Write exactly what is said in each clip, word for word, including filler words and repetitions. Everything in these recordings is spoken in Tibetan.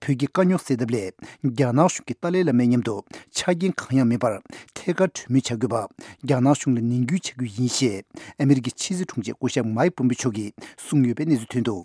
བོད་ཀྱི་དཀའ་རྙོག་སེལ་ཐབས་སླད་རྒྱ་ནག་གཞུང་གིས་ཏཱ་ལའི་བླ་མའི་མཉམ་དུ་ཆ་རྐྱེན་གང་ཡང་མེད་པར་ཐད་ཀར་གྲོས་མོལ་བྱ་དགོས་པ་རྒྱ་ནག་གཞུང་ལ་ནན་སྐུལ་བྱ་རྒྱུ་ཡིན་ཞེས་ཨ་མི་རི་ཀའི་ཕྱི་སྲིད་དྲུང་ཆེ་སྐུ་ཞབས་མཱིག་པོམ་པེ་མཆོག་གིས་གསུངས་ཡོད་པའི་གནས་ཚུལ་ཐོན་འདུག་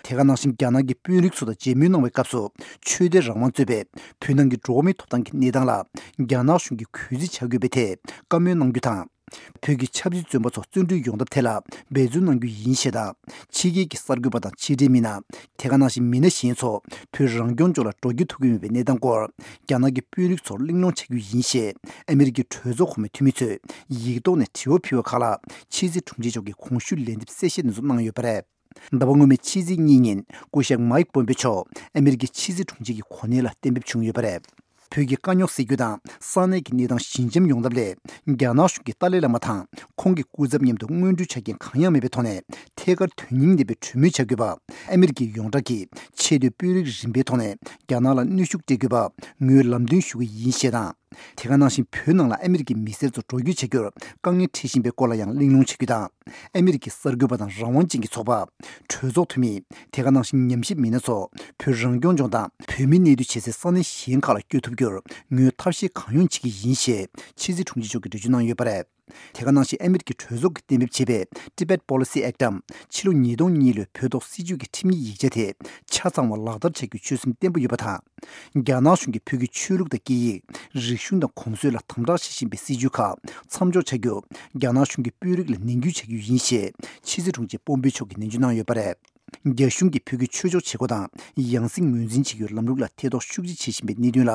དེ་ག་ནང་བཞིན་རྒྱ་ནག་གི་དཔོན་རིགས་ཚོ་དང་མཇལ་མོལ་གནང་བའི་སྐབས་སུ་ཆོས་དད་རང་དབང་གཙོས་པའི་བོད་ནང་གི་འགྲོ་བ་མིའི་ཐོབ་ཐང་གི་གནས་སྟངས་ལ་རྒྱ་ནག་གཞུང་གིས་གུས་བརྩི་བྱ་དགོས་པའི་ཐད་བཀའ་མོལ་གནང་རྒྱུ་དང་། བོད་ཀྱི་ཆབ་སྲིད་བཙོན་པ་ཚོ་བཙོན་གྲོལ་ཡོང་ཐབས་ཐད་ལ་འབད་བརྩོན་གནང་རྒྱུ་ཡིན་ཞེས་དང་། ཕྱི་རྒྱལ་གྱི་གསར་འགོད་པ་དང་ཕྱི་འབྲེལ་མི་སྣ། དེ་ག་ནང་བཞིན་མི་སྣ་གཞན་ཚོ་བོད་རང་སྐྱོང་ལྗོངས་ལ་འགྲོ་རྒྱུ་ཐུབ་ཀྱི་མེད་པའི་གནས་སྟངས་སྐོར་རྒྱ་ནག་གི་དཔོན་རིགས་ཚོར་གླེང་སློང་བྱ་རྒྱུ་ཡིན་ཞེས་ཨ་མི་རི་ཀའི་གྲོས་ཚོགས་གོང་མའི་འཐུས་མི་ཚོས་ཡིག་ཐོག་ནས་དྲི་བ་ཕུལ་བ་ཁག་ལ་ཕྱི་སྲིད་དྲུང་ཆེ་མཆོག་གིས་གོང་ཞུས་ལན་འདེབས་གསལ་བཤད་དེ་ཚོ་གནང་ཡོད་པ་རེད། ཟླ་བ་སྔོན་མའི་ཕྱི་ཚེས་གཉིས་ཉིན་སྐུ་ཞབས་མཱིག་པོམ་པེ་མཆོག་ཨ་མི་རི་ཀའི་ཕྱི་སྲིད་དྲུང་ཆེ་གི་གོ་གནས་ལ་གཏན་འབེབས་བྱུང་ཡོད་པ་རེད། བོད་ཀྱི་དཀའ་རྙོག་སེལ་རྒྱུ་དང་ས་གནས་ཀྱི་གནས་སྟངས་ཞི་འཇམ་ཡོང་ཐབས་སླད་རྒྱ་ནག་གཞུང་གིས་ཏཱ་ལའི་བླ་མ་དང་ཁོང་གི་སྐུ་ཚབ་མཉམ་དུ་སྔོན་འགྲོའི་ཆ་རྐྱེན་གང་ཡང་མེད་པའི་ཐོག་ནས་ཐད་ཀར་དོན་སྙིང་ལྡན་པའི་གྲོས་མོལ་བྱ་དགོས་པ་ཨ་མི་རི་ཀའི་ཡོངས་གྲགས་ཀྱི་ཆེས་མཐོའི་དཔོན་རིགས་རིམ་པའི་ཐོག་ནས་རྒྱ་ནག་ལ་གནོན་ཤུགས་སྤྲད་དགོས་པ་ངོས་ལམ་སྟོན་ཞུ་གི་ཡིན་ཞེས་དང་། དེ་ག་ནང་བཞིན་བོད་ནང་ལ་ཨ་མི་རི་ཀའི་མི་སེར་ཚོ་འགྲོ་སྐྱོད་བྱ་རྒྱུར་དཀའ་ངལ་འཕྲད་བཞིན་པའི་སྐོར་ལ་ཡང་གླེང་སློང་བྱ་རྒྱུ་དང་། ཨ་མི་རི་ཀའི་གསར་འགོད་པ་དང་རང་དབང་ཅན་གྱི་ཚོགས་པ། གྲོས་ཚོགས་འཐུས་མི། དེ་ག་ནང་བཞིན་ཉམས་ཞིབ་མི་སྣ་ཚོ་བོད་རང་སྐྱོང་ལྗོངས་དང་བོད་མིའི་གནས་སྡོད་བྱེད་སའི་ས་གནས་གཞན་ཁག་ལ་བསྐྱོད་ཐུབ་རྒྱུར་ངོས་ཐབས་ཤེས་གང་ཡོང་བྱེད་ཀྱི་ཡིན་ཞེས་ཕྱི་སྲིད་དྲུང་ཆེ་མཆོག་གིས་འགྲེལ་བརྗོད་གནང་ཡོད་པ་རེད། དེ་ག་ནང་བཞིན་ཨ་མི་རི་ཀའི་གྲོས་ཚོགས་ཀྱིས་གཏན་འབེབས་བྱས་པའི་Tibet Policy Act་འམ་ཕྱི་ལོ་ཉིས་སྟོང་གཉིས་ལོའི་བོད་ཐོག་སྲིད་ཇུས་ཀྱི་ཁྲིམས་ཡིག་ཡིག་ཆ་དེ་ཆ་ཚང་བ་ལག་བསྟར་བྱ་རྒྱུའི་ཆོད་སེམས་བརྟན་པོ་ཡོད་པ་དང་། རྒྱ་ནག་གཞུང་གིས་བོད་ཀྱི་ཆོས་ལུགས་དང་སྐད་ཡིག་རིག་གཞུང་དང་གོམས་སྲོལ་ལ་དམ་དྲག་བྱེད་བཞིན་པའི་སྲིད་བྱུས་ཁག་མཚམས་འཇོག་བྱ་རྒྱུ་རྒྱ་ནག་གཞུང་གི་དཔོན་རིགས་ལ་ནན་སྐུལ་བྱ་རྒྱུ་ཡིན་ཞེས་ཕྱི་སྲིད་དྲུང་ཆེ་པོམ་པེ་མཆོག་གིས་ནན་བརྗོད་གནང་ཡོད་པ་རེད། རྒྱ་གཞུང་གིས་བོད་ཀྱི་ཆོས་ཕྱོགས་བྱེད་སྒོ་དང་ཡང་སྲིད་ངོས་འཛིན་བྱེད་རྒྱུའི་ལམ་ལུགས་ལ་ཐེ་གཏོགས་ཤུགས་ཆེ་བྱེད་བཞིན་པའི་གནད་དོན་ལ་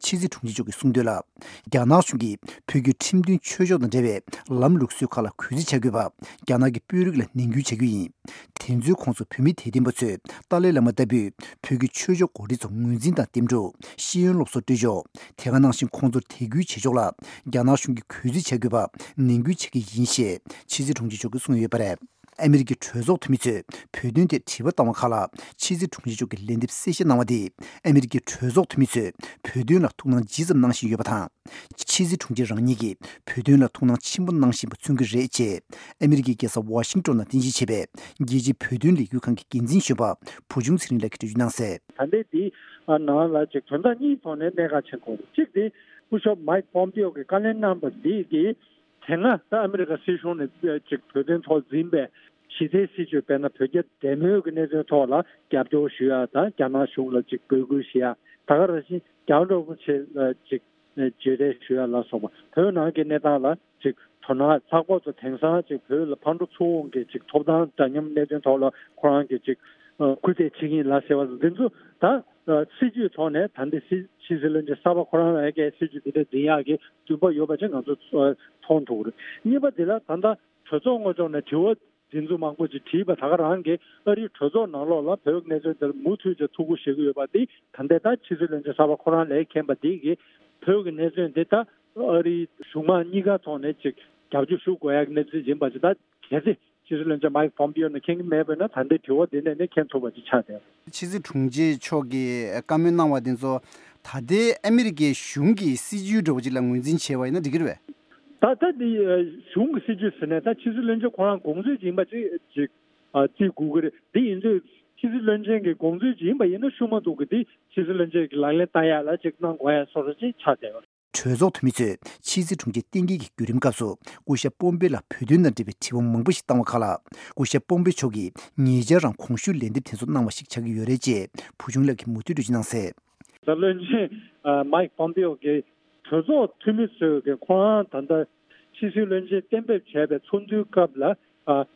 ཕྱི་སྲིད་དྲུང་ཆེ་མཆོག་གིས་གསུངས་དོན་ལ། རྒྱ་ནག་གཞུང་གིས་བོད་ཀྱི་ཁྲིམས་མཐུན་ཆོས་ཕྱོགས་དང་འབྲེལ་བའི་ལམ་ལུགས་སྲོལ་ཁག་ལ་གུས་བརྩི་བྱ་དགོས་པ་རྒྱ་ནག་གི་དཔོན་རིགས་ལ་ནན་སྐུལ་བྱ་རྒྱུ་ཡིན། དེ་ཚོའི་ཁོངས་སུ་བོད་མི་དད་ལྡན་པ་ཚོས་ཏཱ་ལའི་བླ་མ་ལྟ་བུའི་བོད་ཀྱི་ཆོས་ཕྱོགས་འགོ་ཁྲིད་ཚོ་ངོས་འཛིན་དང་རྟེན་འབྲེལ་ཤེས་ཡོན་སློབ་གསོ་སྤྲོད་ཕྱོགས། དེ་ག་ནང་བཞིན་ཁོང་ཚོར་དད་གུས་བྱེད་ཕྱོགས་ལ་རྒྱ་ནག་གཞུང་གིས་གུས་བརྩི་བྱ་དགོས་པ་ནན་སྐུལ་བྱེད་ཀྱི་ཡིན་ཞེས་ཕྱི་སྲིད་དྲུང་ཆེ་མཆོག་གིས་གསུངས་ཡོད་པ་རེད། ཨ་མི་རི་ཀའི་གྲོས་ཚོགས་འཐུས་མི་ཚོས་བོད་དོན་ཐད་དྲི་བ་བཏང་བ་ཁག་ལ་ཕྱི་སྲིད་དྲུང་ཆེ་མཆོག་གིས་ལན་འདེབས་གསལ་བཤད་གནང་བ་དེས་ཨ་མི་རི་ཀའི་གྲོས་ཚོགས་འཐུས་མི་ཚོས་བོད་དོན་ལ་ཐུགས་སྣང་ཇི་ཙམ་གནང་བཞིན་ཡོད་པ་དང་། ཕྱི་སྲིད་དྲུང་ཆེ་རང་ཉིད་ཀྱིས་བོད་དོན་ལ་ཐུགས་སྣང་ཆེན་པོ་གནང་བཞིན་པ་མཚོན་གྱི་རེད་ཅེས་ཨ་མི་རི་ཀའི་རྒྱལ་ས་ཝ་ཤིང་ཏོན་ནང་རྟེན་གཞི་བྱས་པའི་རྒྱལ་སྤྱིའི་བོད་དོན་ལས་འགུལ་ཁང་གི་འགན་འཛིན་གཞོན་པ་བུ་ཆུང་ཚེ་རིང་ལགས་ཀྱིས་འགྲེལ་བརྗོད་གནང་གསལ། ད་ལྟའི་འདི་ནང་ལ་ཅིག་དོན་དག་གཉིས་ཐོག་ནས་གནད་འགག་ཆེན་པོ་རེད། གཅིག་དེ་སྐུ་ཞབས་མའིག་པོམ་པེའོ་གིས་བཀའ་ལན་གནང་པ་འདི་གིས་དེ་སྔ་ད་ཨ་མི་རི་ཀ་སྲིད་གཞུང་ནས་ཅིག་བོད་དོན་ཐོག་འཛིན་པའི་ཞི་བདེའི་སྲིད་བྱུས་དཔེར་ན་བོད་རྒྱ་འབྲེལ་མོལ་གྱི་གནད་དོན་ཐོག་ལ་རྒྱབ་སྐྱོར་ཞུ་ཡ་དང་རྒྱ་ནག་གཞུང་ལ་ཅིག་འབོད་སྐུལ་ཞུ་ཡ། ད་ག་རང་བཞིན་རྒྱ་ནག་རིན་པོ་ཆེ་ལ་ཅིག་མཇལ་འཕྲད་ཞུ་ཡ་ལ་སོགས་པ་བོད་ནང་གི་གནས་སྟངས་ལ་ཅིག་དོ་སྣང་ལྷག་པར་དུ་དེང་སང་ཅིག་བོད་ལ་ཕར་འགྲོ་ཚུར་འོང་གི་ཅིག་ཐོབ་ཐང་འདྲ་མཉམ་གནད་དོན་ཐོག་ལ་ཁོ་རང་གིས་ཅིག་སྐུལ་འདེད་བྱེད་ཀྱི་ཡིན་ལ་ཟེར་བ་འདི་ཚོ་ད་སྲིད་ཇུས་ཐོག་ནས་ད་ལྟ་སྲིད་ཕྱི་སྲིད་བློན་ཆེན་གསར་པ་ཁོ་རང་ལ་ཡ་གི་སྲིད་ཇུས་འདི་འདྲ་འཛིན་ཡག་གི་འདུན་པ་ཡོད་པ་ཅིག་ང་ཚོ་མཐོང་ཐུབ་ཀྱི་རེད། གཉིས་པ་འདི་ལ་ད་ལྟ་གྲོས་ཚོགས་ངོས་ཕྱོགས་ནས་དྲི་བ་འདི་ཚོ་མང་པོ་ཅིག་དྲིས་པ་ད་ག་རང་གིས་ཨ་རིའི་གྲོས་ཚོགས་ནང་ལོགས་ལ་བོད་ཀྱི་གནད་དོན་དེར་མུ་མཐུད་ཅིག་ཐུགས་ཁུར་བཞེས་ཀྱི་ཡོད་པ་འདི་ད་ལྟའི་ད་ཕྱི་སྲིད་བློན་ཆེན་གསར་པ་ཁོ་རང་ལས་མཁྱེན་པ་འདི་གིས་བོད་ཀྱི་གནད་དོན་འདི་ད་ཨ་རིའི་གཞུང་མང་གཉིས་ཀ་ཐོག་ནས་ཅིག་རྒྱབ་སྐྱོར་ཞུ་དགོས་ཡག་གི་གནས་ཚུལ་ཡིན་པ་ཅིག་ད་གལ་སྲིད་ཕྱི་སྲིད་བློན་ཆེན་མའིག་པོམ་པིའོ་ནས་མཁྱེན་གྱི་མེད་པ་ཡིན་ན་ད་ལྟའི་དྲི་བ་འདི་ནས་ནི་མཁྱེན་ཐུབ་པ་ཅིག་ཆགས་བསྡད་ཡོད། ཕྱི་སྲིད་དྲུང་ཆེ་མཆོག་གིས་བཀའ་མོལ་གནང་བ་འདི་ཚོ་ད་ལྟའི་ཨ་མི་རི་ཀའི་གཞུང་གི་སྲིད་ཇུས་འདྲ་བོ་ཅིག་ལ་ངོས་འཛིན་བྱས་པ་ཡིན་ན་འགྲིག་གི་རེད་པས། ད་ལྟ་འདི་གཞུང་གི་སྲིད་ཇུས་ཟེར་ནས་ད་ཕྱི་སྲིད་བློན་ཆེན་ཁོ་རང་དགོངས་ཚུལ་ཅིག་ཡིན་པ་ཅིག་ཅིག་བརྩི་དགོས་ཀྱི་རེད། འདི་ཡིན་དུས་ཕྱི་སྲིད་བློན་ཆེན་གྱི་དགོངས་ཚུལ་ཅིག་ཡིན་པ་ཡིན་ན་ཤུགས་མ་འདུག་གི་འདི་ཕྱི་སྲིད་བློན་ཆེན་གྱི་ལག་ལེན་བསྟར་ཡག་ལ་ཅིག་གནང་དགོས་ཡག་བཟོ་འདྲ་ཅིག་ཆགས་བསྡད་ཡོད། གྲོས་ཚོགས་འཐུས་མི་ཚོས་ཕྱི་སྲིད་དྲུང་ཆེ་བསྟེན་སྐྱེལ་གྱི་བརྒྱུད་རིམ་སྐབས་སུ་སྐུ་ཞབས་པོམ་པེ་ལ་བོད་དོན་དང་འབྲེལ་བའི་དྲི་བ་མང་པོ་ཞིག་བཏང་བ་ཁག་ལ་སྐུ་ཞབས་པོམ་པེ་མཆོག་གིས་ཉེ་ཆར་རང་གོང་ཞུས་ལན་འདེབས་དེ་ཚོ་གནང་བ་ཞིག་ཆགས་ཀྱི་ཡོད་རེད་ཅེས་བུ་ཆུང་ལགས་ཀྱིས་མུ་མཐུད་འགྲེལ་བརྗོད་གནང་གསལ། ད་བློན་ཆེན་མའིག་པོམ་པེའོ་གིས་གྲོས་ཚོགས་འཐུས་མི་ཚོས་ཀྱི་ཁོ་རང་ད་ལྟ་ཕྱི་སྲིད་བློན་ཆེན་གཏན་འབེབས་བྱས་པའི་ཚོགས་འདུའི་སྐབས་ལ་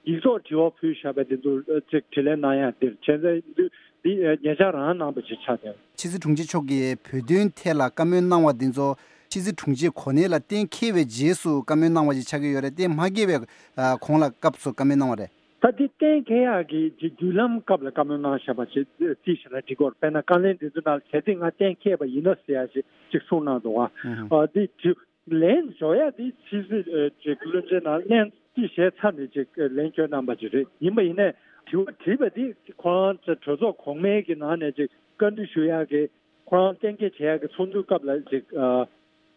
ཡིག་ཐོག་དྲི་བ་ཕུལ་བཞག་པའི་དེ་ཚོ་ཅིག་དྲིས་ལན་གནང་ཡག་འདིར་བྱས་ཙང་འདི་ཉེ་ཆར་རང་གནང་བ་ཞིག་ཆགས་བསྡད། ཕྱི་སྲིད་དྲུང་ཆེ་མཆོག་གིས་བོད་དོན་ཐད་ལ་བཀའ་མོལ་གནང་བ་འདི་ཚོ་ཕྱི་སྲིད་དྲུང་ཆེའི་གོ་གནས་ལ་གཏན་འཁེལ་བའི་རྗེས་སུ་བཀའ་མོལ་གནང་བ་ཞིག་ཆགས་ཀྱི་ཡོད་རེད་དེ། མ་འཁེལ་བའི་གོང་ལ་སྐབས་སུ་བཀའ་མོལ་གནང་བ་རེད། ད་འདི་གཏན་འཁེལ་ཡག་གི་ཅིག་བརྒྱུད་ལམ་སྐབས་ལ་བཀའ་མོལ་གནང་བཞག་པ་ཞིག་རྩིས་བཞག་ན་འགྲིག་གི་རེད། དཔེར་ན་བཀའ་ལན་འདི་ཚོ་ནང་གལ་སྲིད་ང་གཏན་འཁེལ་བ་ཡིན་ན་ཟེར་ཡག་ཞིག་ཅིག་གསུངས་གནང་འདུག་བ། ཨ་འདི་ཅིག་ལན་འཇོག་ཡ་དེ་ཕྱི་སྲིད་ཨ་ཅིག་བློན་ཆེན་ནང་ལན་དེ་བཞེས་ཚར་ནས་ཅིག་ལན་བསྐྱོན་གནང་པ་ཅིག་རེད། ཡིན་པ་ཡིན་ནའི་དྲི་བ་དྲིས་པ་དེ་ཁོ་རང་ཚོ་གྲོས་ཚོགས་གོང་མའི་གི་ནང་ནས་ཅིག་བཀའ་འདྲི་ཞུ་ཡ་གི་ཁོ་རང་གཏན་འཁེལ་བྱེད་ཡ་གི་ཚོགས་འདུའི་སྐབས་ལ་ཅིག་ཨ་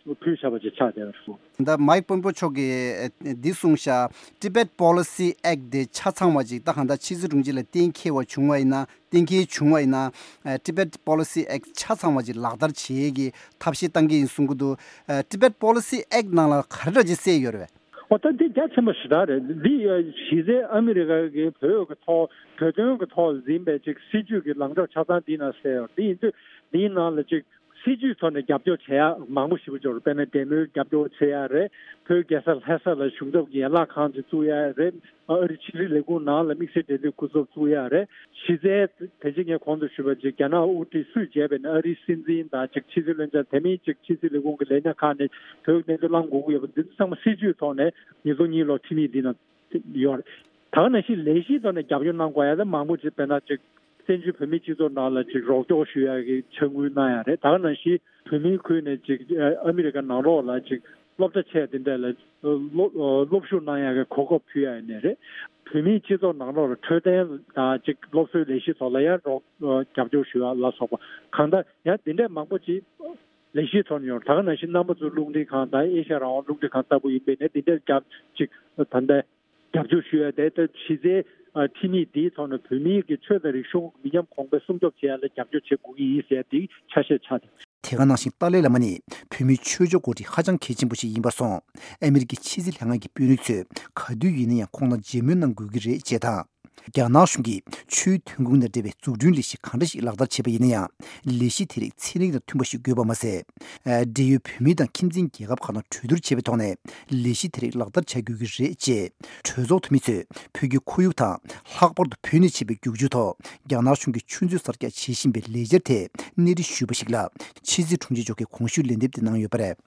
ཕུལ་བཞག་པ་ཅིག་ཆགས་བསྡད་པ་རེད། ད་མའིག་པོམ་པེ་མཆོག་གིས་འདི་གསུངས་ཤག Tibet Policy Act དེ་ཆ་ཚང་བ་ཅིག་ད་གང་ལྟར་ཕྱི་སྲིད་དྲུང་ཆེ་ལ་གཏན་འཁེལ་བ་བྱུང་བ་ཡིན་ན། གཏན་འཁེལ་བྱུང་བ་ཡིན་ན། Tibet Policy Act ཆ་ཚང་བ་ཅིག་ལག་བསྟར་བྱེད་ཀྱི་ཐབས་ཤེས་བཏང་གི་ཡིན་གསུང་གི་འདུག Tibet Policy Act ནང་ལ་ག་རེ་འདྲ་ཅིག་གསལ་ཡོད་རེད་པས། འོ་ད་འདི་རྒྱ་ཆེན་པོ་ཞེ་དྲག་རེད། འདི་གཞི་རྩའི་ཨ་མི་རི་ཀ་གི་བོད་ཀྱི་ཐོག་བོད་དོན་གྱི་ཐོག་འཛིན་པའི་ཅིག་སྲིད་ཇུས་ཀྱི་ལངས་ཕྱོགས་ཆ་ཚང་འདི་ནང་གསལ་ཡོད། འདི་ཡིན་དུས་འདིའི་ནང་ལ་ཅིག་སྲིད་ཇུས་ཐོག་ནས་རྒྱབ་སྐྱོར་བྱེད་ཡ་མང་པོ་ཞེ་པོ་ཅིག་ཡོད་རེད། དཔེར་ན་འབྲེལ་མོལ་རྒྱབ་སྐྱོར་བྱེད་ཡ་རེད། བོད་རྒྱལ་ས་ལྷ་ས་ལ་གཞུང་ཚབ་ཀྱི་ཡན་ལག་ཁང་ཅིག་བཙུགས་ཡ་རེད། ཨ་རི་ཕྱི་སྲིད་ལས་ཁུངས་ནང་ལ་དམིགས་བསལ་འབྲེལ་མཐུད་སྐུ་ཚབ་བཙུགས་ཡ་རེད། གཞི་རྩའི་དེ་རྗེས་ངས་གོང་དུ་ཞུས་པ་ཅིག་རྒྱ་ནག་དབུ་ཁྲིད་སུས་བྱས་པ་ཡིན་ན་ཨ་རིའི་སྲིད་འཛིན་དང་ཅིག་ཕྱི་སྲིད་བློན་ཆེན་དེ་མིན་ཅིག་ཕྱི་སྲིད་ལས་ཁུངས་ཀྱི་ལས་སྣེ་ཁག་ནས་བོད་ཀྱི་གནས་ཚུལ་བླང་དགོས་ཀྱི་ཡོད་པ་འདི་ཚོ་ཚང་མ་སྲིད་ཇུས་ཐོག་ནས་ཉིས་སྟོང་གཉིས་ལོ་འཐུས་མི་འདི་ནང་ཡོད་རེད། ད་ག་ནང་བཞིན་ལས་གཞིའི་ཐོག་ནས་རྒྱབ་སྐྱོར་གནང་དགོས་ཡ་དེ་མང་པོ་ཅིག་དཔེར་ན་ཅིག་བཙན་བྱོལ་བོད་མིའི་སྤྱི་ཚོགས་ནང་ལ་ཅིག་རོགས་སྐྱོར་ཞུ་ཡ་གི་ཕྱག་དངུལ་གནང་ཡ་རེད། ད་ག་ནང་བཞིན་བོད་མིའི་ཁུལ་ནས་ཅིག་ཨ་མི་རི་ཀ་ནང་ལོགས་ལ་ཅིག་སློབ་གྲྭ་ཆེ་དེ་འདྲ་ལ་སློབ་སློབ་ཞུགས་གནང་ཡ་གི་གོ་སྐབས་ཕུལ་ཡ་ཡིན་ནའི་རེད། བོད་མིའི་སྤྱི་ཚོགས་ནང་ལོགས་ལ་འཕྲོད་བསྟེན་དང་ཅིག་སློབ་གསོའི་ལས་གཞི་ཐོག་ལ་ཡང་རོགས་རྒྱབ་སྐྱོར་ཞུ་ཡ་ལ་སོགས་པ་གང་ལྟར་ཡང་དེ་འདྲ་མང་པོ་ཅིག་ལས་གཞི་ཐོག་ནས་ཡོད། ད་ག་ནང་བཞིན་རྣམ་པ་ཚོའི་རླུང་འཕྲིན་ཁང་དང་ཨེ་ཤ་ཡ་རང་དབང་རླུང་འཕྲིན་ཁང་ལྟ་བུ་ཡིན་པས་ནས་དེ་འདྲ་རྒྱབ་ཅིག་ད་ལྟ་རྒྱབ་སྐྱོར་ཞུ་ཡ་དེ་ལྟ་གཞི་རྩའི་ཨ་འཐུས་མི་འདིའི་ཐོག་ནས་བོད་མིའི་གི་ཆོས་དང་རིག་གཞུང་མི་ཉམས་གོང་འཕེལ་སྲུང་སྐྱོབ་བྱེད་ཡ་ལ་རྒྱབ་སྐྱོར་བྱེད་དགོས་ཀྱི་ཡིན་ཟེར་ཡ་དེ་ཆ་ཤས་ཆགས་ཏེ། དེ་ག་ནང་བཞིན་ཏཱ་ལའི་བླ་མ་ནི་བོད་མིའི་ཆོས་ཕྱོགས་འགོ་ཁྲིད་ཧ་ཅང་གལ་ཆེན་པོ་ཞིག་ཡིན་པར་སོང་། ཨ་མི་རི་ཀའི་ཕྱི་སྲིད་ལྷན་ཁང་གི་དཔོན་རིགས་ཚོས་ག་དུས་ཡིན་ན་ཡང་ཁོང་ལ་མཇལ་མོལ་གནང་དགོས་ཀྱི་རེད་ཅེས་དང་། རྒྱ་ནག་གཞུང་གིས་ཆུའི་ཐོན་ཁུངས་དང་འབྲེལ་བའི་འཛུགས་སྐྲུན་ལས་གཞི་གང་འདྲ་ཞིག་ལག་བསྟར་བྱས་པ་ཡིན་ན་ཡང་། ལས་གཞི་དེ་རིགས་ཚན་རིག་དང་མཐུན་པ་ཞིག་དགོས་པ་མ་ཟད། འབྲེལ་ཡོད་བོད་མི་དང་ཁྱིམ་མཚེས་རྒྱལ་ཁབ་ཁག་དང་གྲོས་བསྡུར་བྱས་པའི་ཐོག་ནས་ལས་གཞི་དེ་རིགས་ལག་བསྟར་བྱ་དགོས་ཀྱི་རེད་ཅེས། གྲོས་ཚོགས་འཐུས་མི་ཚོས་བོད་ཀྱི་ཁོར་ཡུག་དང་ལྷག་པར་དུ་བོད་ནས་ཆད་པའི་རྒྱུག་ཆུ་ཐོག་རྒྱ་ནག་གཞུང་གིས་ཆུ་མཛོད་གསར་རྒྱག་བྱེད་བཞིན་པའི་ལས་འཆར་ཐད་སྣེ་ཁྲིད་ཞུས་པ་ཞིག་ལ་ཕྱི་སྲིད་དྲུང་ཆེ་མཆོག་གིས་གོང་ཞུས་ལན་འདེབས་དེ་གནང་ཡོད་པ་རེད།